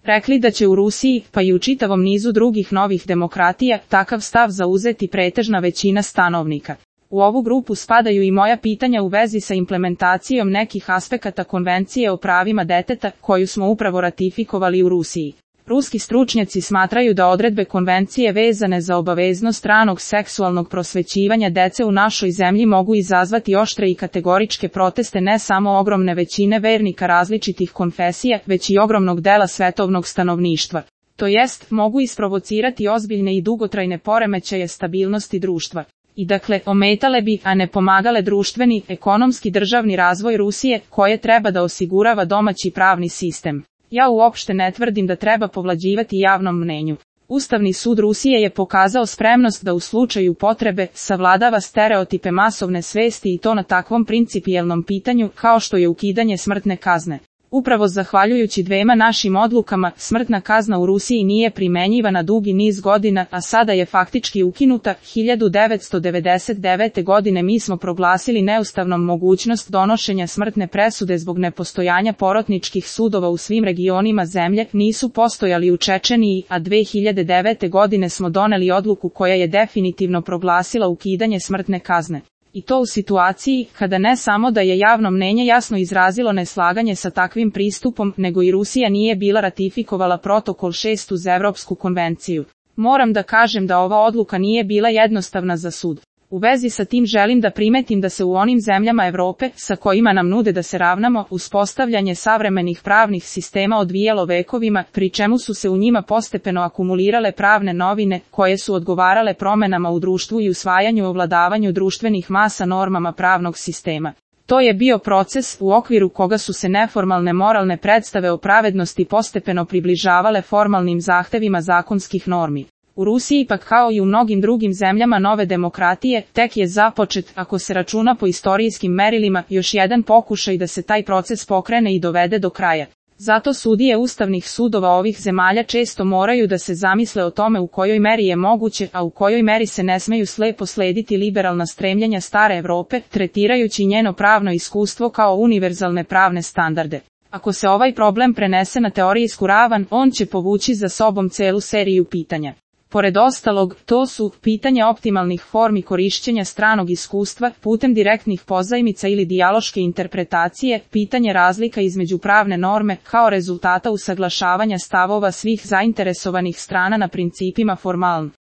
rekli da će u Rusiji, pa i u čitavom nizu drugih novih demokratija, takav stav zauzeti pretežna većina stanovnika. U ovu grupu spadaju i moja pitanja u vezi sa implementacijom nekih aspekata Konvencije o pravima deteta, koju smo upravo ratifikovali u Rusiji. Ruski stručnjaci smatraju da odredbe konvencije vezane za obaveznost ranog seksualnog prosvećivanja dece u našoj zemlji mogu izazvati oštre i kategoričke proteste ne samo ogromne većine vernika različitih konfesija, već i ogromnog dela svetovnog stanovništva. To jest, mogu isprovocirati ozbiljne i dugotrajne poremećaje stabilnosti društva. I dakle, ometale bi, a ne pomagale društveni, ekonomski državni razvoj Rusije, koje treba da osigurava domaći pravni sistem. Ja uopšte ne tvrdim da treba povlađivati javnom mnenju. Ustavni sud Rusije je pokazao spremnost da u slučaju potrebe savladava stereotipe masovne svesti i to na takvom principijelnom pitanju kao što je ukidanje smrtne kazne. Upravo zahvaljujući dvema našim odlukama, smrtna kazna u Rusiji nije primenjivana dugi niz godina, a sada je faktički ukinuta. 1999. godine mi smo proglasili neustavnom mogućnost donošenja smrtne presude zbog nepostojanja porotničkih sudova u svim regionima zemlje, nisu postojali u Čečeniji, a 2009. godine smo doneli odluku koja je definitivno proglasila ukidanje smrtne kazne. I to u situaciji kada ne samo da je javno mnenje jasno izrazilo neslaganje sa takvim pristupom, nego i Rusija nije bila ratifikovala protokol 6 uz Evropsku konvenciju. Moram da kažem da ova odluka nije bila jednostavna za sud. U vezi sa tim želim da primetim da se u onim zemljama Evrope, sa kojima nam nude da se ravnamo, uspostavljanje savremenih pravnih sistema odvijalo vekovima, pri čemu su se u njima postepeno akumulirale pravne novine, koje su odgovarale promenama u društvu i usvajanju ovladavanju društvenih masa normama pravnog sistema. To je bio proces u okviru koga su se neformalne moralne predstave o pravednosti postepeno približavale formalnim zahtevima zakonskih normi. U Rusiji pak kao i u mnogim drugim zemljama nove demokratije, tek je započet, ako se računa po istorijskim merilima, još jedan pokušaj da se taj proces pokrene i dovede do kraja. Zato sudije ustavnih sudova ovih zemalja često moraju da se zamisle o tome u kojoj meri je moguće, a u kojoj meri se ne smeju slepo slediti liberalna stremljenja stare Evrope, tretirajući njeno pravno iskustvo kao univerzalne pravne standarde. Ako se ovaj problem prenese na teorijsku ravan, on će povući za sobom celu seriju pitanja. Pored ostalog, to su pitanje optimalnih formi korišćenja stranog iskustva putem direktnih pozajmica ili dijaloške interpretacije, pitanje razlika između pravne norme kao rezultata usaglašavanja stavova svih zainteresovanih strana na principima formalnosti.